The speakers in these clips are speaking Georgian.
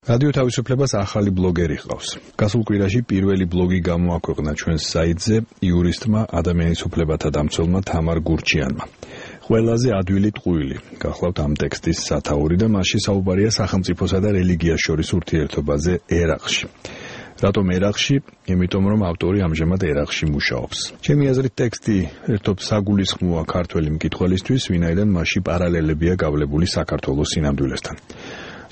რადიო თავისუფლებას ახალი ბლოგერი ჰყავს. გასულ კვირაში პირველი ბლოგი გამოაქვეყნა ჩვენს საიტზე იურისტმა ადამიანის უფლებათა დამცველმა თამარ გურჩიანმა. ყველაზე ადვილი ტყუილი გახლავთ ამ ტექსტის სათაური და მასში საუბარია სახელმწიფოსა და რელიგიას შორის ურთიერთობაზე ერაყში. რატომ ერაყში? იმიტომ რომ ავტორი ამჟამად ერაყში მუშაობს. ჩემი აზრით ტექსტი ერთობ საგულისხმოა ქართველი მკითხველისთვის, ვინაიდან მასში პარალელებია გავლებული საქართველოს სინამდვილესთან.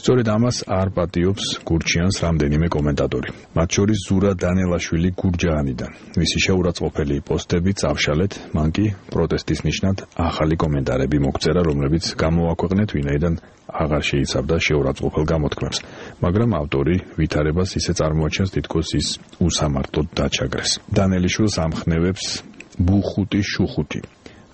სწორედ ამას არ პატიობს გურჩიანს რამდენიმე კომენტატორი. მათ შორის ზურა დანელაშვილი გურჯაანიდან. მისი შეურაცხყოფელი პოსტები წავშალეთ, მან კი პროტესტის ნიშნად ახალი კომენტარები მოგწერა, რომლებიც გამოაქვეყნეთ, ვინაიდან აღარ შეიცავდა შეურაცხყოფელ გამოთქმებს. მაგრამ ავტორი ვითარებას ისე წარმოაჩენს, თითქოს ის უსამართლოდ დაჩაგრეს. დანელიშვილს ამხნევებს ბუხუტი შუხუთი.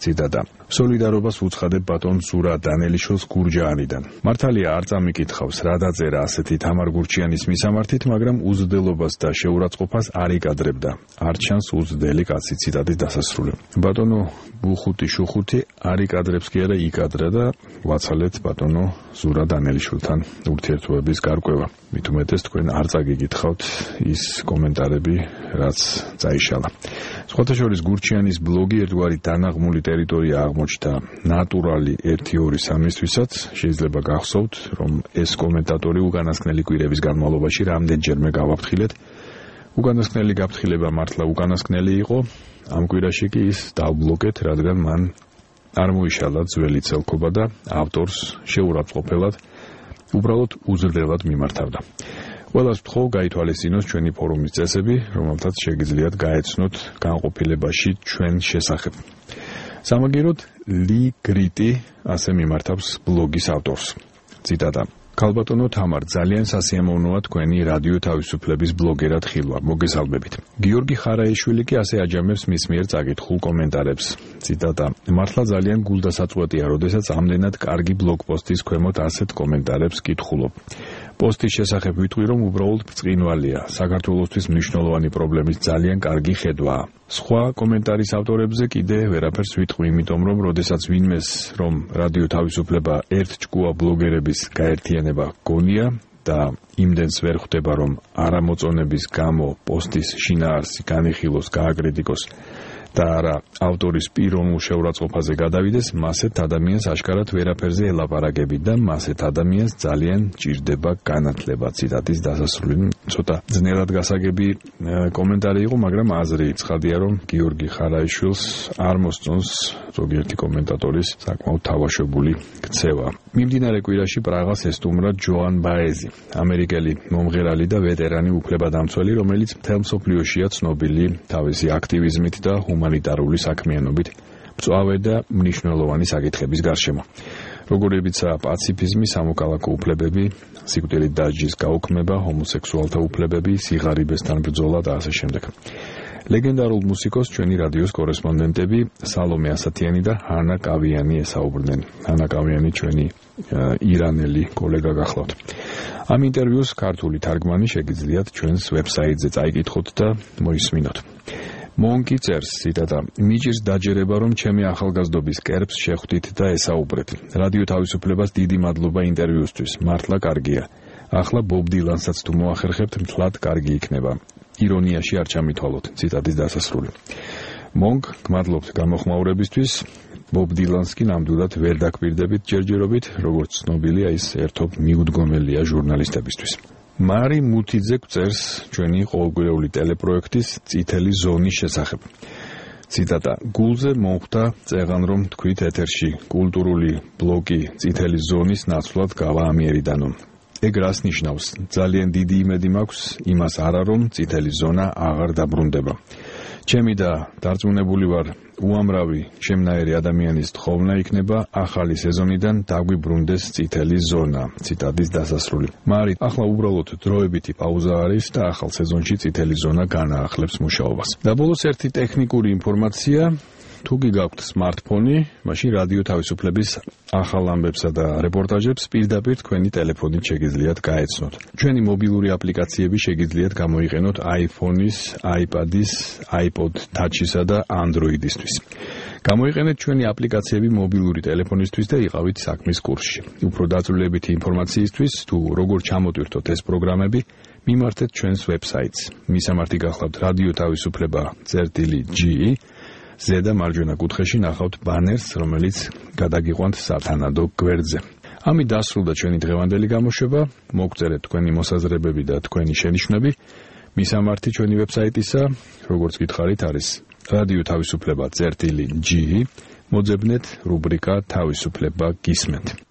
ციტატა. სოლიდარობას უცხადებ ბატონ ზურა დანელიშვილს გურჯაანიდან. მართალია არ წამიკითხავს რა დაწერა ასეთი თამარ გურჩიანის მისამართით, მაგრამ უზრდელობას და შეურაცხყოფას არ იკადრებდა. არ ჩანს უზრდელი კაცი. ციტატის დასასრული. ბატონო ბუხუტი შუხუთი არ იკადრებს კი არა იკადრა და ვაცალეთ ბატონო ზურა დანელიშვილთან ურთიერთობების გარკვევა. მით უმეტეს თქვენ არ წაგიკითხავთ ის კომენტარები, რაც წაიშალა. სხვათა შორის გურჩიანის ბლოგი ერთგვარი დანაღმული ტერიტორია აღმოჩნდა ნატურალი 1-2-3-ისთვისაც. შეიძლება გახსოვთ, რომ ეს კომენტატორი უკანასკნელი კვირების განმავლობაში რამდენჯერმე გავაფრთხილეთ. უკანასკნელი გაფრთხილება მართლა უკანასკნელი იყო. ამ კვირაში კი ის დავბლოკეთ, რადგან მან არ მოიშალა ძველი ცელქობა და ავტორს შეურაცხყოფელად უბრალოდ უზრდელად მიმართავდა. ყველას ვთხოვ გაითვალისწინოს ჩვენი ფორუმის წესები, რომელთაც შეგიძლიათ გაეცნოთ განყოფილებაში ჩვენ შესახებ. სამაგიეროდ ლი გრიტი ასე მიმართავს ბლოგის ავტორს. ციტატა. ქალბატონო თამარ, ძალიან სასიამოვნოა თქვენი რადიო თავისუფლების ბლოგერად ხილვა. მოგესალმებით. გიორგი ხარაიშვილი კი ასე აჯამებს მის მიერ წაკითხულ კომენტარებს. ციტატა. მართლა ძალიან გულდასაწყვეტია, როდესაც ამდენად კარგი ბლოგპოსტის ქვემოთ ასეთ კომენტარებს კითხულობ. პოსტის შესახებ ვიტყვი, რომ უბრალოდ ბრწყინვალეა. საქართველოსთვის მნიშვნელოვანი პრობლემის ძალიან კარგი ხედვაა. სხვა კომენტარის ავტორებზე კიდე ვერაფერს ვიტყვი, იმიტომ რომ როდესაც ვინმეს რომ რადიო თავისუფლება ერთჭკუა ბლოგერების გაერთიანება გონია და იმდენს ვერ ხვდება, რომ არამოწონების გამო პოსტის შინაარსი განიხილოს, გააკრიტიკოს და არა ავტორის პიროვნულ შეურაცხყოფაზე გადავიდეს, მასეთ ადამიანს აშკარად ვერაფერზე ელაპარაკები და მასეთ ადამიანს ძალიან ჭირდება განათლება. ციტატის დასასრული. ცოტა ძნელად გასაგები კომენტარი იყო, მაგრამ აზრი ცხადია, რომ გიორგი ხარაიშვილს არ მოსწონს ზოგიერთი კომენტატორის საკმაოდ თავაშვებული ქცევა. მიმდინარე კვირაში პრაღას ესტუმრა ჯოან ბაეზი, ამერიკელი მომღერალი და ვეტერანი უფლებადამცველი, რომელიც მთელ მსოფლიოშია ცნობილი თავისი აქტივიზმით და ჰუმანიტარული საქმიანობით მწვავე და მნიშვნელოვანი საკითხების გარშემო. როგორებიცაა პაციფიზმი, სამოქალაქო უფლებები, სიკვდილით დასჯის გაუქმება, ჰომოსექსუალთა უფლებები, სიღარიბესთან ბრძოლა და ასე შემდეგ. ლეგენდარულ მუსიკოს ჩვენი რადიოს კორესპონდენტები სალომე ასათიანი და ჰანა კავიანი ესაუბრნენ. ჰანა კავიანი ჩვენი ირანელი კოლეგა გახლავთ. ამ ინტერვიუს ქართული თარგმანი შეგიძლიათ ჩვენს ვებსაიტზე წაიკითხოთ და მოისმინოთ. მონკი წერს, ციტატა, მიჭირს დაჯერება, რომ ჩემი ახალგაზრდობის კერპს შეხვდით და ესაუბრეთ. რადიო თავისუფლებას დიდი მადლობა ინტერვიუსთვის. მართლა კარგია. ახლა ბობ დილანსაც თუ მოახერხებთ, მთლად კარგი იქნება. ირონიაში არ ჩამითვალოთ. ციტატის დასასრული. მონკ, გმადლობთ გამოხმაურებისთვის. ბობ დილანს კი ნამდვილად ვერ დაკვირდებით ჯერჯერობით, როგორც ცნობილია, ის ერთობ მიუდგომელია ჟურნალისტებისთვის. მარი მუთიძე წერს ჩვენი ყოველკვირეული ტელეპროექტის წითელი ზონის შესახებ. ციტატა. გულზე მომხვდა წეღან, რომ თქვით ეთერში კულტურული ბლოკი წითელი ზონის ნაცვლად გავაამიერიდანო. ეგ რას ნიშნავს? ძალიან დიდი იმედი მაქვს იმას არა, რომ წითელი ზონა აღარ დაბრუნდება. ჩემი და დარწმუნებული ვარ, უამრავი შემნაირი ადამიანის თხოვნა იქნება ახალი სეზონიდან დაგვიბრუნდეს წითელი ზონა. ციტატის დასასრული. მარი, ახლა უბრალოდ დროებითი პაუზა არის და ახალ სეზონში წითელი ზონა განაახლებს მუშაობას. და ბოლოს ერთი ტექნიკური ინფორმაცია. თუ გიგაქვთ smartphone, მაშინ რადიო თავისუფლების ახალ ამბებსა და რეპორტაჟებს პირდაპირ თქვენი ტელეფონით შეგიძლიათ გაეცნოთ. ჩვენი მობილური აპლიკაციები შეგიძლიათ გამოიყენოთ iPhone-ის, iPad-ის, iPod Touch-ისა და Android-ისთვის. გამოიყენეთ ჩვენი აპლიკაციები მობილური ტელეფონისთვის და იყავით საქმის კურსში. Უფრო დაწვრილებითი ინფორმაციისთვის თუ როგორ ჩამოტვირთოთ ეს პროგრამები, მიმართეთ ჩვენს ვებსაიტს. მისამართი გახლავთ რადიო თავისუფლება წერტილი.ge. ზედა მარჯვენა კუთხეში ნახავთ ბანერს, რომელიც გადაგიყვანთ სათანადო გვერდზე. ამით დასრულდა ჩვენი დღევანდელი გამოშვება. მოგწერეთ თქვენი მოსაზრებები და თქვენი შენიშვნები. მისამართი ჩვენი ვებსაიტისა, როგორც გითხარით, არის რადიო თავისუფლება წერტილი.ge. მოძებნეთ რუბრიკა თავისუფლება გისმენთ.